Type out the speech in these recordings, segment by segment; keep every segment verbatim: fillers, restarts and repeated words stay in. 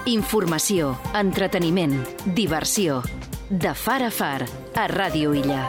Informació, entreteniment, diversió. De far a far, a Ràdio Illa.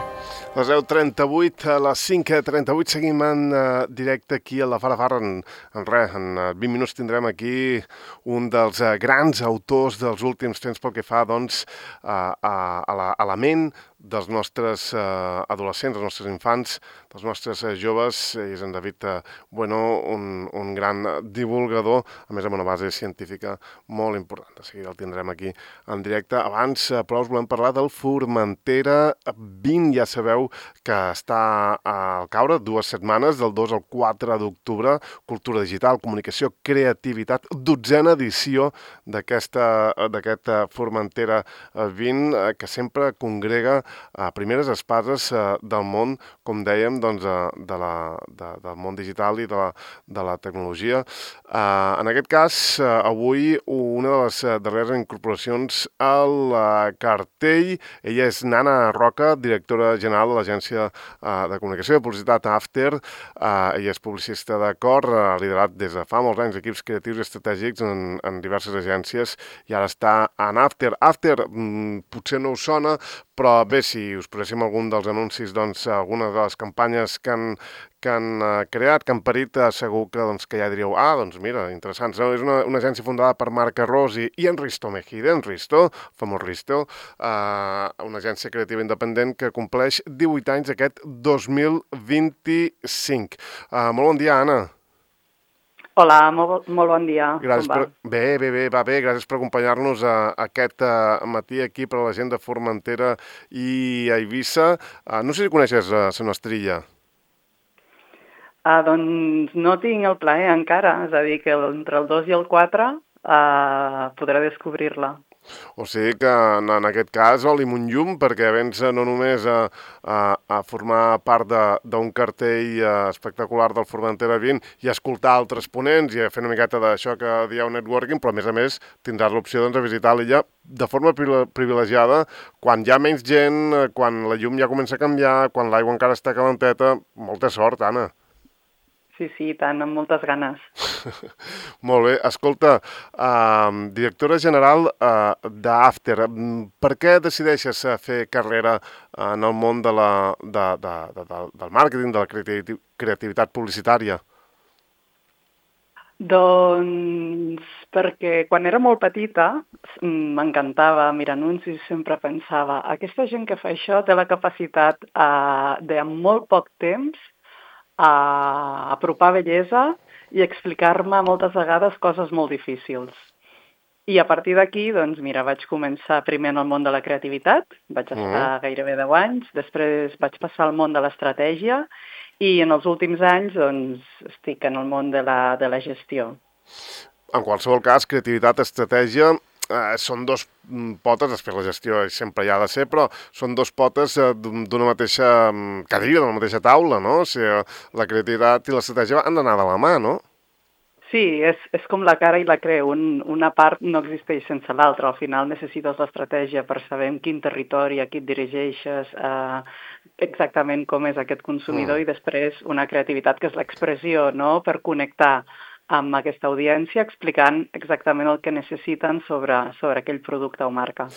Les deu trenta-vuit, a les cinc trenta-vuit seguim en uh, directe aquí a la Far a Far. En, en res, en uh, vint minuts tindrem aquí un dels uh, grans autors dels últims temps pel que fa doncs, uh, a, a, la, a la ment dels nostres uh, adolescents, dels nostres infants, dels nostres uh, joves. És en David uh, Bueno, un, un gran divulgador, a més amb una base científica molt important. De seguida el tindrem aquí en directe. Abans, uh, però, us volem parlar del Formentera vint, ja sabeu que està al caure dues setmanes, del dos al quatre d'octubre, cultura digital, comunicació, creativitat, dotzena edició d'aquesta d'aquest Formentera vint, que sempre congrega a primeres espases del món, com dèiem, doncs, de la, de, del món digital i de la, de la tecnologia. En aquest cas, avui, una de les darreres incorporacions al cartell, ella és Nana Roca, directora general de l'Agència de Comunicació i de Publicitat After. Ella és publicista de cor, ha liderat des de fa molts anys equips creatius i estratègics en, en diverses agències i ara està en After. After mm, potser no us sona, però bé, si us poséssim algun dels anuncis, doncs alguna de les campanyes que han, que han uh, creat, que han parit, uh, segur que, doncs, que ja diríeu, ah, doncs mira, interessants. No? És una, una agència fundada per Marc Arròs i, i en Risto Mejide, en Risto, famós Risto, uh, una agència creativa independent que compleix divuit anys aquest dos mil vint-i-cinc. Uh, molt bon dia, Anna. Hola, molt, molt bon dia. Gràcies Com va? Per... Bé, bé, bé, va bé. Gràcies per acompanyar-nos a, a aquest uh, matí aquí per a la gent de Formentera i a Eivissa. Uh, no sé si coneixes uh, la nostra illa. Ah, doncs no tinc el plaer encara, és a dir, que entre el dos i el quatre uh, podré descobrir-la. O sigui que en, en aquest cas olim un llum, perquè vens no només a, a, a formar part d'un cartell espectacular del Formentera vint i a escoltar altres ponents i a fer una miqueta d'això que dieu networking, però a més a més tindràs l'opció doncs, de visitar l'illa de forma privilegiada quan hi ha menys gent, quan la llum ja comença a canviar, quan l'aigua encara està calenteta. Molta sort, Anna. Sí, sí, tant, amb moltes ganes. Molt bé. Escolta, uh, directora general uh, d'After, per què decideixes fer carrera en el món de la, de, de, de, de, del màrqueting, de la creativitat publicitària? Doncs perquè quan era molt petita m'encantava mirar anuncis i sempre pensava aquesta gent que fa això té la capacitat uh, de en molt poc temps a apropar bellesa i explicar-me moltes vegades coses molt difícils. I a partir d'aquí, doncs mira, vaig començar primer en el món de la creativitat, vaig estar uh-huh. gairebé deu anys, després vaig passar al món de l'estratègia i en els últims anys doncs, estic en el món de la, de la gestió. En qualsevol cas, creativitat, estratègia... Eh, són dos potes, després la gestió sempre hi ha de ser, però són dos potes eh, d'una mateixa cadira, d'una mateixa taula, no? O sigui, la creativitat i l'estratègia han d'anar de la mà, no? Sí, és, és com la cara i la creu, Un, una part no existeix sense l'altra, al final necessites l'estratègia per saber en quin territori, a qui et dirigeixes, eh, exactament com és aquest consumidor mm. i després una creativitat que és l'expressió, no?, per connectar amb aquesta audiència, explicant exactament el que necessiten sobre, sobre aquell producte o marca.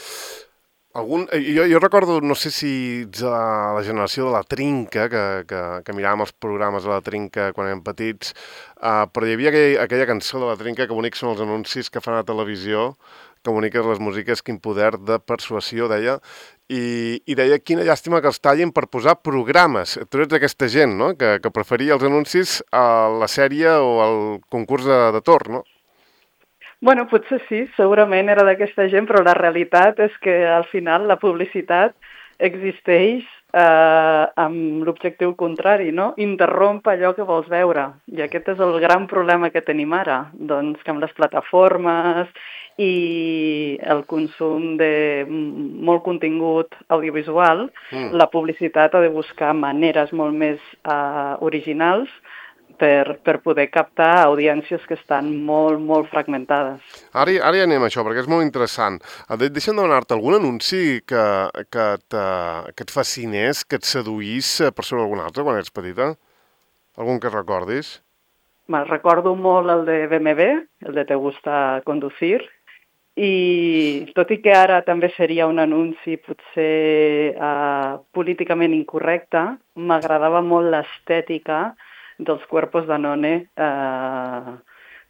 Algun, jo, jo recordo, no sé si ets a la generació de la Trinca, que, que, que miràvem els programes de la Trinca quan érem petits, uh, però hi havia aquell, aquella cançó de la Trinca que bonics són els anuncis que fan a televisió, que boniques les músiques, quin poder de persuasió, deia, i, i deia quina llàstima que els tallin per posar programes. Tu ets aquesta gent, no?, que, que preferia els anuncis a la sèrie o al concurs de, de torn, no? Bueno, potser sí, segurament era d'aquesta gent, però la realitat és que al final la publicitat existeix eh, amb l'objectiu contrari, no? Interromp allò que vols veure. I aquest és el gran problema que tenim ara, doncs que amb les plataformes i el consum de molt contingut audiovisual, mm. la publicitat ha de buscar maneres molt més eh, originals per, per poder captar audiències que estan molt, molt fragmentades. Ara, ara ja anem a això, perquè és molt interessant. Deixa'm demanar-te algun anunci que, que, te, que et fascinés, que et seduís per sobre algun altre quan ets petita? Algun que recordis? Me recordo molt el de B M W, el de Te gusta conducir, I tot i que ara també seria un anunci potser uh, políticament incorrecte, m'agradava molt l'estètica dels Cuerpos Danone uh,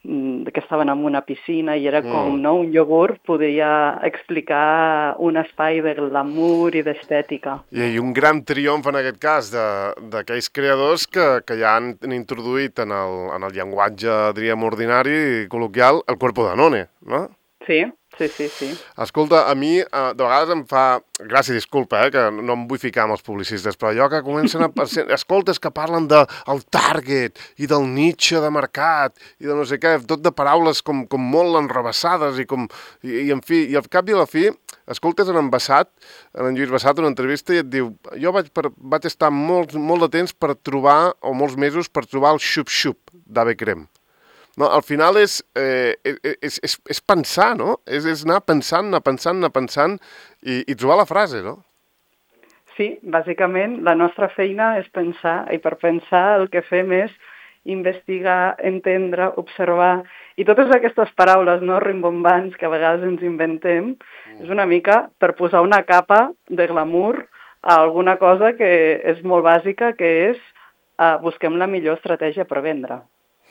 que estaven en una piscina i era com, mm. no, un iogurt podria explicar un espai de glamour i d'estètica. I, I un gran triomf en aquest cas d'aquells creadors que, que ja han introduït en el, en el llenguatge, diríem, ordinari i col·loquial el Cuerpo Danone, no? Sí, sí, sí, sí. Escolta, a mi eh, de vegades em fa... Gràcies, disculpa, eh, que no em vull ficar amb els publicistes, però allò que comencen a... Escoltes que parlen del de target i del niche de mercat i de no sé què, tot de paraules com, com molt enrebaçades i com... I, i en fi, i al cap i a la fi, escoltes en en Bassat, en en Lluís Bassat, una entrevista i et diu jo vaig, per, vaig estar molt, molt de temps per trobar, o molts mesos, per trobar el xup-xup d'Ave Crem. No, al final és, eh, és, és, és pensar, no? És, és anar pensant, anar pensant, anar pensant i, i trobar la frase, no? Sí, bàsicament la nostra feina és pensar i per pensar el que fem és investigar, entendre, observar i totes aquestes paraules no rimbombants que a vegades ens inventem mm. és una mica per posar una capa de glamour a alguna cosa que és molt bàsica, que és uh, busquem la millor estratègia per vendre.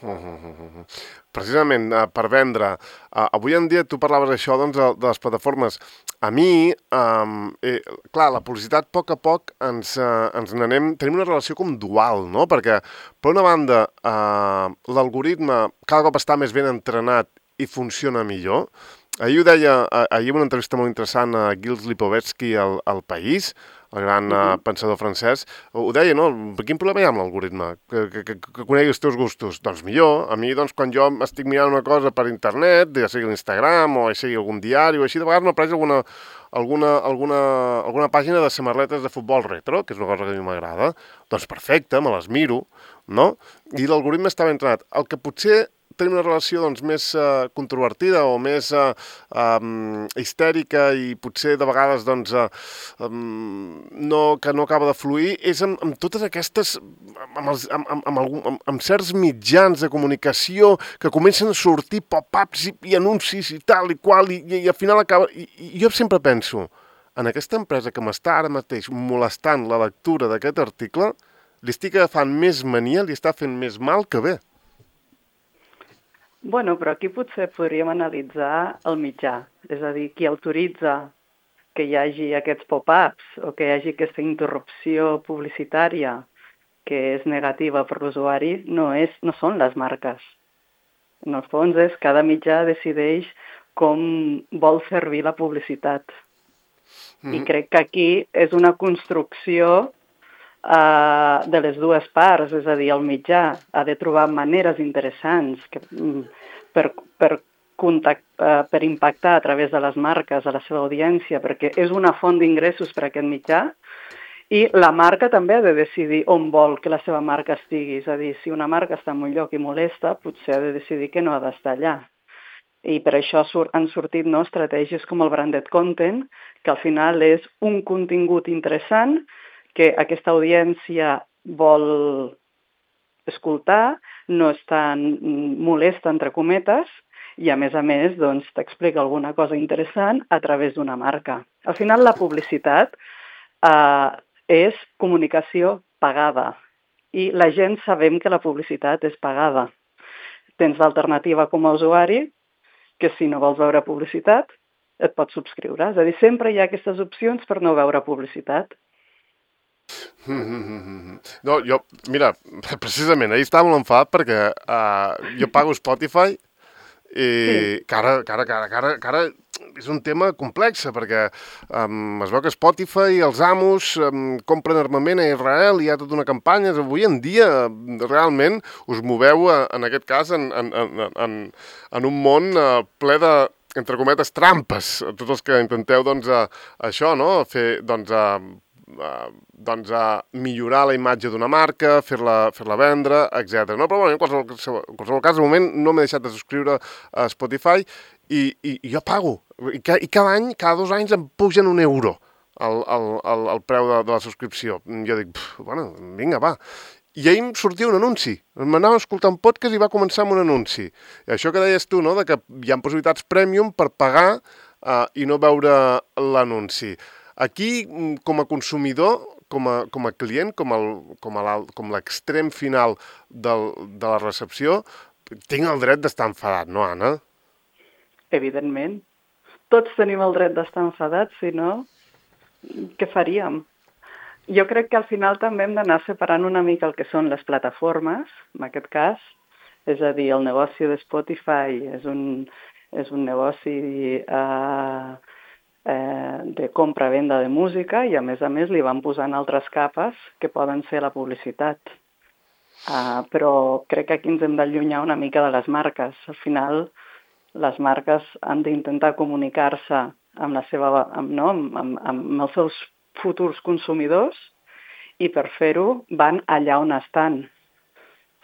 Uh, uh, uh, uh. Precisament uh, per vendre, uh, avui en dia tu parlaves això doncs, de, de les plataformes. A mi, um, eh, clar, la publicitat a poc a poc ens, uh, ens n'anem, tenim una relació com dual, no? Perquè per una banda uh, l'algoritme cada cop està més ben entrenat i funciona millor. Ahir ho deia, uh, ahir en una entrevista molt interessant a Gilles Lipovetsky al, al País, el gran uh, pensador francès, ho deia, no? Quin problema hi ha amb l'algoritme? Que, que, que, que conegui els teus gustos? Doncs millor. A mi, doncs, quan jo estic mirant una cosa per internet, ja sigui l'Instagram o ja sigui algun diari o així, de vegades m'apareix alguna, alguna, alguna, alguna pàgina de samarretes de futbol retro, que és una cosa que a mi m'agrada, doncs perfecte, me les miro, no? I l'algoritme està ben entrenat. El que potser tenim una relació doncs, més uh, controvertida o més uh, um, histèrica i potser de vegades doncs, uh, um, no, que no acaba de fluir, és amb, amb totes aquestes, amb, els, amb, amb, amb, algun, amb, amb certs mitjans de comunicació que comencen a sortir pop-ups i, i anuncis i tal i qual, i, i, i al final acaba... I, I jo sempre penso, en aquesta empresa que m'està ara mateix molestant la lectura d'aquest article, li estic agafant més mania, li està fent més mal que bé. Bueno, però aquí potser podríem analitzar el mitjà, és a dir, qui autoritza que hi hagi aquests pop-ups o que hi hagi aquesta interrupció publicitària que és negativa per l'usuari, no, és, no són les marques. En el fons és cada mitjà decideix com vol servir la publicitat. Mm-hmm. I crec que aquí és una construcció Uh, de les dues parts, és a dir, el mitjà ha de trobar maneres interessants que, per, per, contact, uh, per impactar a través de les marques a la seva audiència, perquè és una font d'ingressos per a aquest mitjà, i la marca també ha de decidir on vol que la seva marca estigui, és a dir, si una marca està en un lloc i molesta, potser ha de decidir que no ha d'estar allà. I per això han sortit no, estratègies com el branded content, que al final és un contingut interessant que aquesta audiència vol escoltar, no és tan molesta, entre cometes, i a més a més doncs, t'explica alguna cosa interessant a través d'una marca. Al final la publicitat eh, és comunicació pagada i la gent sabem que la publicitat és pagada. Tens l'alternativa com a usuari, que si no vols veure publicitat, et pots subscriure. És a dir, sempre hi ha aquestes opcions per no veure publicitat. No, jo, mira, precisament, ahir estava molt enfadat perquè uh, jo pago Spotify i sí. que, ara, que, ara, que, ara, que, ara, que ara és un tema complex perquè um, es veu que Spotify, els amos, um, compren armament a Israel i hi ha tota una campanya. Avui en dia, realment, us moveu, uh, en aquest cas, en, en, en, en, en un món uh, ple de, entre cometes, trampes. Tots els que intenteu, doncs, uh, això, no?, fer, doncs, uh, Uh, doncs a millorar la imatge d'una marca, fer-la fer-la vendre, etcètera. No? Però bueno, en qualsevol, en qualsevol cas, al moment no m'he deixat de subscriure a Spotify i, i, i jo pago. I, ca, I cada any, cada dos anys em pugen un euro el, el, el, el preu de, de la subscripció. Jo dic, bueno, vinga, va. I ahir em sortia un anunci. M'anava a escoltar un podcast i va començar amb un anunci. I això que deies tu, no?, de que hi ha possibilitats premium per pagar uh, i no veure l'anunci. Aquí, com a consumidor, com a, com a client, com, el, com, a com l'extrem final del, de la recepció, tinc el dret d'estar enfadat, no, Anna? Evidentment. Tots tenim el dret d'estar enfadats, si no, què faríem? Jo crec que al final també hem d'anar separant una mica el que són les plataformes, en aquest cas, és a dir, el negoci de Spotify és un, és un negoci eh, eh, de compra-venda de música i a més a més li van posant altres capes que poden ser la publicitat. Uh, però crec que aquí ens hem d'allunyar una mica de les marques. Al final, les marques han d'intentar comunicar-se amb, la seva, amb, no? amb, amb, amb els seus futurs consumidors i per fer-ho van allà on estan.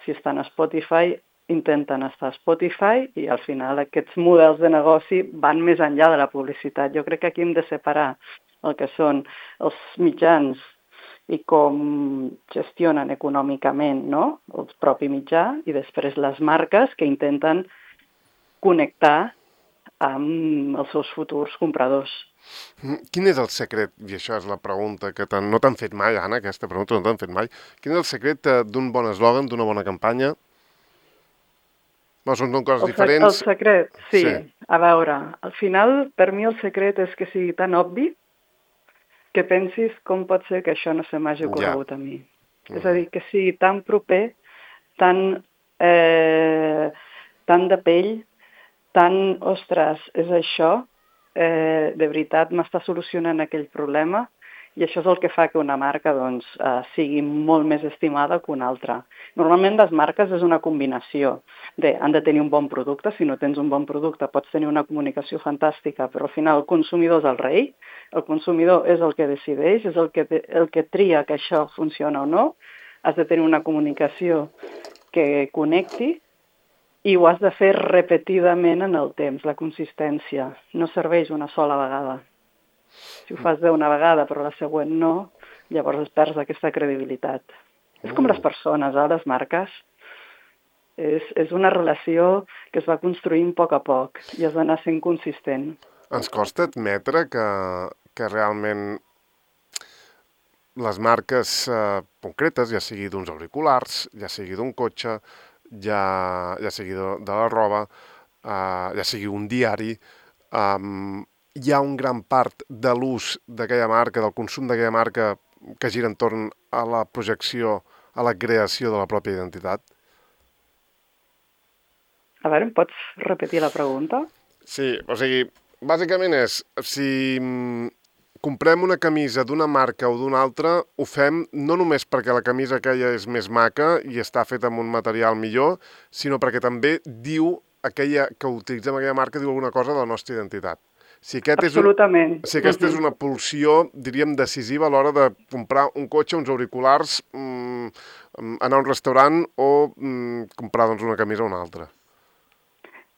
Si estan a Spotify, intenten estar a Spotify i al final aquests models de negoci van més enllà de la publicitat. Jo crec que aquí hem de separar el que són els mitjans i com gestionen econòmicament, no?, el propi mitjà i després les marques que intenten connectar amb els seus futurs compradors. Quin és el secret, i això és la pregunta que no t'han fet mai, Anna, aquesta pregunta no t'han fet mai, quin és el secret d'un bon eslògan, d'una bona campanya? No, són coses el diferents. El secret, sí. sí. A veure, al final, per mi el secret és que sigui tan obvi que pensis com pot ser que això no se m'hagi ocorregut ja. a mi. Mm. És a dir, que sigui tan proper, tan, eh, tan de pell, tan, ostres, és això, eh, de veritat m'està solucionant aquell problema i això és el que fa que una marca doncs, eh, sigui molt més estimada que una altra. Normalment les marques és una combinació de han de tenir un bon producte, si no tens un bon producte pots tenir una comunicació fantàstica, però al final el consumidor és el rei, el consumidor és el que decideix, és el que, el que tria que això funciona o no, has de tenir una comunicació que connecti i ho has de fer repetidament en el temps, la consistència. No serveix una sola vegada. Si ho fas bé una vegada però la següent no, llavors es perds aquesta credibilitat. Mm. És com les persones, eh, les marques. És, és una relació que es va construint a poc a poc i has d'anar sent consistent. Ens costa admetre que, que realment les marques eh, concretes, ja sigui d'uns auriculars, ja sigui d'un cotxe, ja, ja sigui de, de la roba, uh, ja sigui un diari, um, hi ha un gran part de l'ús d'aquella marca, del consum d'aquella marca que gira entorn a la projecció, a la creació de la pròpia identitat? A veure, em pots repetir la pregunta? Sí, o sigui, bàsicament és, si comprem una camisa d'una marca o d'una altra, ho fem no només perquè la camisa aquella és més maca i està feta amb un material millor, sinó perquè també diu aquella que utilitzem aquella marca, diu alguna cosa de la nostra identitat. Si aquest Absolutament. És un, si aquesta uh-huh. és una pulsió, diríem, decisiva a l'hora de comprar un cotxe, uns auriculars, mmm, anar a un restaurant o mmm, comprar doncs, una camisa o una altra.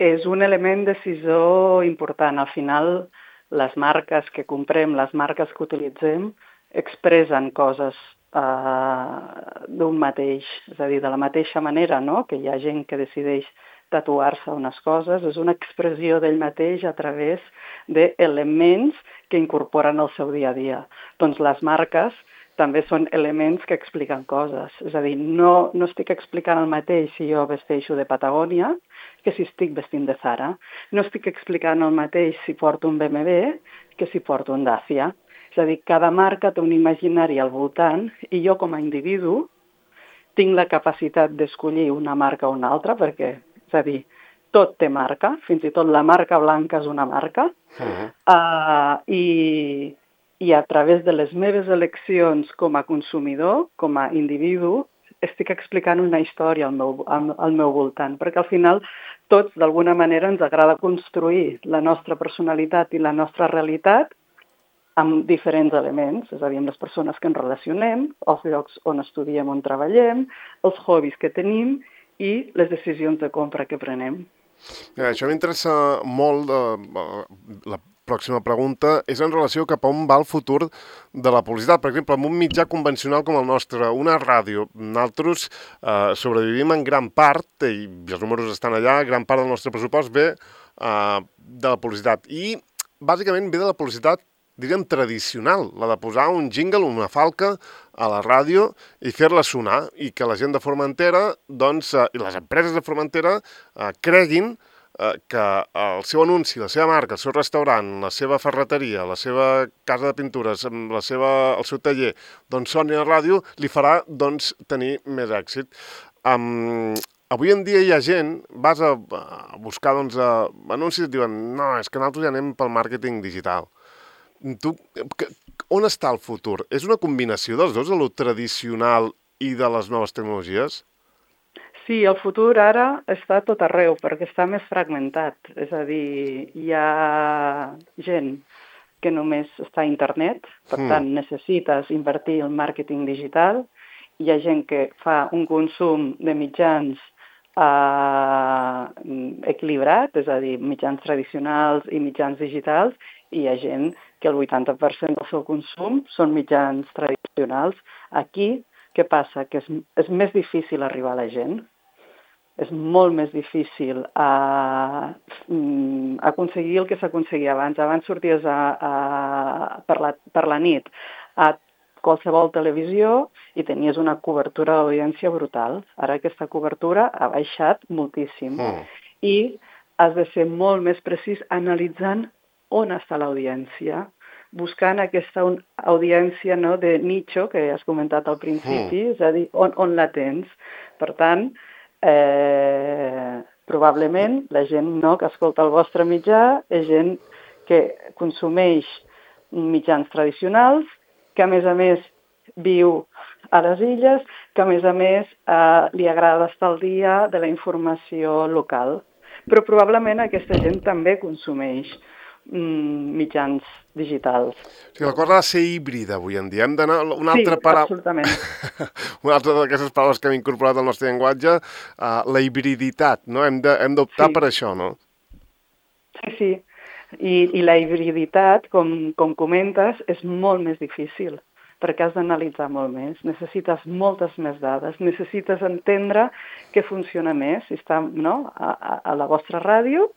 És un element decisor important. Al final, les marques que comprem, les marques que utilitzem, expressen coses eh, d'un mateix. És a dir, de la mateixa manera, no?, que hi ha gent que decideix tatuar-se unes coses, és una expressió d'ell mateix a través d'elements que incorporen al seu dia a dia. Doncs les marques també són elements que expliquen coses. És a dir, no, no estic explicant el mateix si jo vesteixo de Patagònia que si estic vestint de Zara. No estic explicant el mateix si porto un B M W que si porto un Dacia. És a dir, cada marca té un imaginari al voltant i jo com a individu tinc la capacitat d'escollir una marca o una altra perquè, és a dir, tot té marca, fins i tot la marca blanca és una marca, uh-huh. uh, i, i a través de les meves eleccions com a consumidor, com a individu, estic explicant una història al meu, al, al meu voltant, perquè al final tots d'alguna manera ens agrada construir la nostra personalitat i la nostra realitat amb diferents elements, és a dir, amb les persones que ens relacionem, els llocs on estudiem, on treballem, els hobbies que tenim i les decisions de compra que prenem. Ja, això m'interessa molt, eh, la pròxima pregunta és en relació cap a on va el futur de la publicitat. Per exemple, en un mitjà convencional com el nostre, una ràdio, nosaltres eh, sobrevivim en gran part, i els números estan allà, gran part del nostre pressupost ve eh, de la publicitat. I bàsicament ve de la publicitat, diríem, tradicional, la de posar un jingle, una falca a la ràdio i fer-la sonar, i que la gent de Formentera, doncs, eh, i les empreses de Formentera eh, creguin eh, que el seu anunci, la seva marca, el seu restaurant, la seva ferreteria, la seva casa de pintures, la seva, el seu taller, doncs soni a la ràdio, li farà, doncs, tenir més èxit. Um, avui en dia hi ha gent, vas a, a buscar, doncs, a, anuncis i et diuen no, és que nosaltres ja anem pel màrqueting digital. Tu, on està el futur? És una combinació dels dos, de lo tradicional i de les noves tecnologies? Sí, el futur ara està tot arreu, perquè està més fragmentat. És a dir, hi ha gent que només està a internet, per mm. tant necessites invertir en màrqueting digital. Hi ha gent que fa un consum de mitjans eh, equilibrat, és a dir, mitjans tradicionals i mitjans digitals, i hi ha gent que el vuitanta per cent del seu consum són mitjans tradicionals. Aquí, què passa? Que és, és més difícil arribar a la gent. És molt més difícil a, um, aconseguir el que s'aconseguia abans. Abans sorties a, a, per, la, per la nit a qualsevol televisió i tenies una cobertura d'audiència brutal. Ara aquesta cobertura ha baixat moltíssim. Mm. I has de ser molt més precís analitzant on està l'audiència, buscant aquesta audiència, no, de nicho, que has comentat al principi, mm. és a dir, on, on la tens. Per tant, eh, probablement la gent, no, que escolta el vostre mitjà és gent que consumeix mitjans tradicionals, que a més a més viu a les illes, que a més a més eh, li agrada estar al dia de la informació local. Però probablement aquesta gent també consumeix mitjans digitals. O sigui, la cosa ha de ser híbrida avui en dia. Hem d'anar una altra sí, paraula... absolutament. Una altra d'aquestes paraules que hem incorporat al nostre llenguatge, uh, la hibriditat, no? Hem de, hem d'optar sí. per això, no? Sí, sí. I, i la hibriditat, com, com comentes, és molt més difícil, perquè has d'analitzar molt més. Necessites moltes més dades, necessites entendre què funciona més, si està, no, a, a, a la vostra ràdio,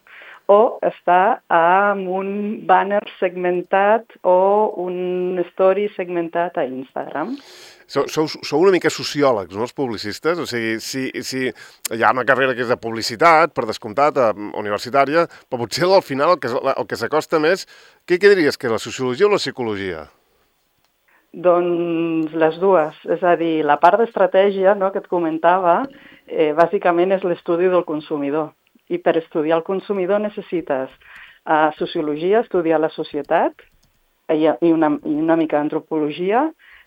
o està amb un banner segmentat o un story segmentat a Instagram. Sou, sou, sou una mica sociòlegs, no, els publicistes? O sigui, si, si hi ha una carrera que és de publicitat, per descomptat, universitària, però potser al final el que, el que s'acosta més, què, què diries, que és la sociologia o la psicologia? Doncs les dues. És a dir, la part d'estratègia, no, que et comentava, eh, bàsicament és l'estudi del consumidor. I per estudiar el consumidor necessites uh, sociologia, estudiar la societat, i, i, una, i una mica d'antropologia,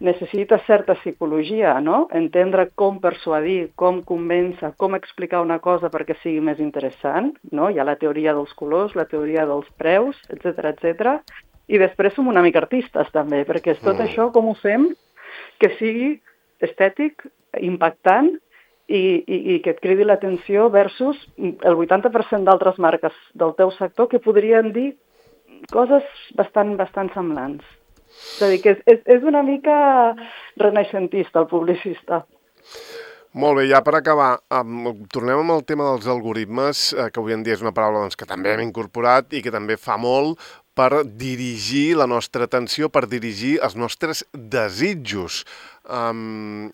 necessites certa psicologia, no? Entendre com persuadir, com convèncer, com explicar una cosa perquè sigui més interessant, no? Hi ha la teoria dels colors, la teoria dels preus, etcètera, etcètera. I després som una mica artistes també, perquè és tot mm. això com ho fem que sigui estètic, impactant, I, i, i que et cridi l'atenció versus el vuitanta per cent d'altres marques del teu sector que podrien dir coses bastant, bastant semblants. És a dir, que és, és, és una mica renaixentista el publicista. Molt bé, ja per acabar, um, tornem amb el tema dels algoritmes, eh, que avui en dia és una paraula doncs, que també hem incorporat i que també fa molt per dirigir la nostra atenció, per dirigir els nostres desitjos. Um,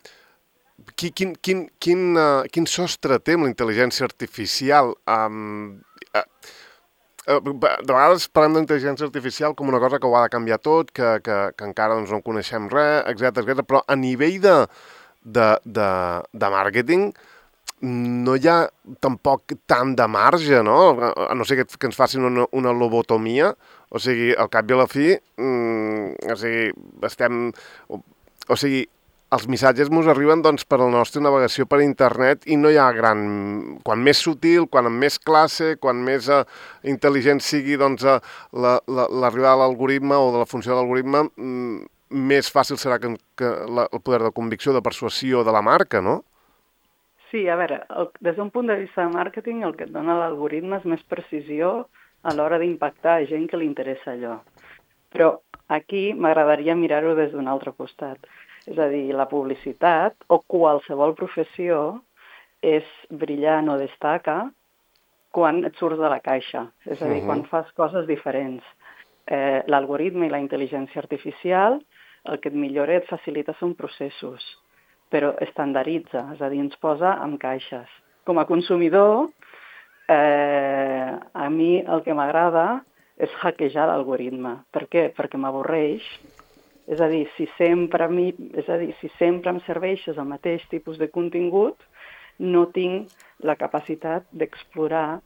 Quin, quin, quin, uh, quin sostre té amb la intel·ligència artificial? Um, uh, uh, de vegades parlem d'intel·ligència artificial com una cosa que ho ha de canviar tot, que, que, que encara doncs, no en coneixem res, etcètera, etcètera. Però a nivell de, de, de, de màrqueting no hi ha tampoc tant de marge, no? A no ser que, que ens facin una, una lobotomia, o sigui, al cap i a la fi, mm, o sigui, estem... O sigui, els missatges ens arriben doncs, per la nostra navegació per internet i no hi ha gran... Quan més sutil, quan amb més classe, quan més uh, intel·ligent sigui doncs, uh, la, la, l'arribada de l'algoritme o de la funció de l'algoritme, mm, més fàcil serà que, que la, el poder de convicció, de persuasió de la marca, no? Sí, a veure, el, des d'un punt de vista de màrqueting, el que et dona l'algoritme és més precisió a l'hora d'impactar a gent que li interessa allò. Però aquí m'agradaria mirar-ho des d'un altre costat. És a dir, la publicitat o qualsevol professió és brillant o destaca quan et surts de la caixa, és a dir, uh-huh. quan fas coses diferents. Eh, l'algoritme i la intel·ligència artificial el que et millora i et facilita són processos, però estandaritza, és a dir, ens posa en caixes. Com a consumidor, eh, a mi el que m'agrada és hackejar l'algoritme. Per què? Perquè m'avorreix. És a dir, si sempre, mi, és a dir, si sempre em serveixes el mateix tipus de contingut, no tinc la capacitat d'explorar,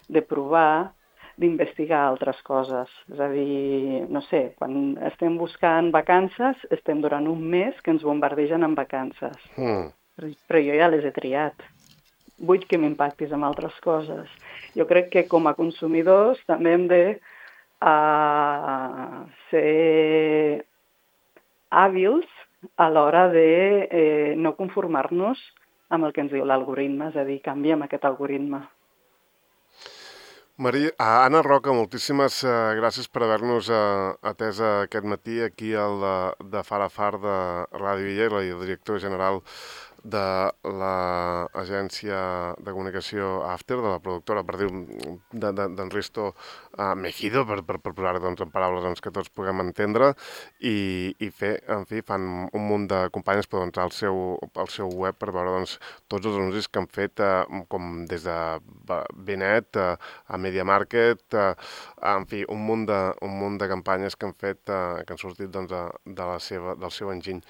de provar, d'investigar altres coses. És a dir, no sé, quan estem buscant vacances, estem durant un mes que ens bombardegen amb vacances. Mm. Però jo ja les he triat. Vull que m'impactis amb altres coses. Jo crec que com a consumidors també hem de uh, ser hàbils a l'hora de eh, no conformar-nos amb el que ens diu l'algoritme, és a dir, canviem aquest algoritme. Maria, Anna Roca, moltíssimes uh, gràcies per haver-nos uh, atès aquest matí aquí al de, de Far a Far de Ràdio Illa, la directora general de l'agència de comunicació After, de la productora, per dir, d'en de, de, Risto uh, Mejido, per, per, per posar doncs, en paraules doncs, que tots puguem entendre, i, i fer, en fi, fan un munt de companyes per doncs, al, seu, al seu web per veure doncs, tots els anuncis que han fet, uh, com des de Benet uh, a Media Market, uh, en fi, un munt, de, un munt de campanyes que han fet, uh, que han sortit doncs, de, de la seva, del seu enginy.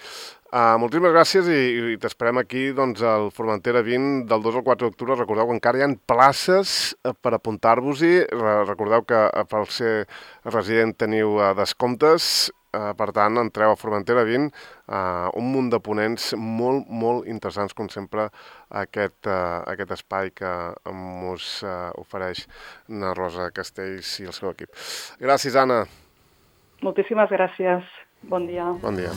Uh, moltíssimes gràcies i, i t'esperem aquí doncs, al Formentera vint del dos al quatre d'octubre. Recordeu que encara hi ha places per apuntar-vos-hi. Recordeu que per ser resident teniu uh, descomptes. Uh, per tant, entreu a Formentera vint, uh, un munt de ponents molt, molt interessants, com sempre, aquest, uh, aquest espai que us uh, ofereix na Rosa Castells i el seu equip. Gràcies, Anna. Moltíssimes gràcies. Bon dia. Bon dia.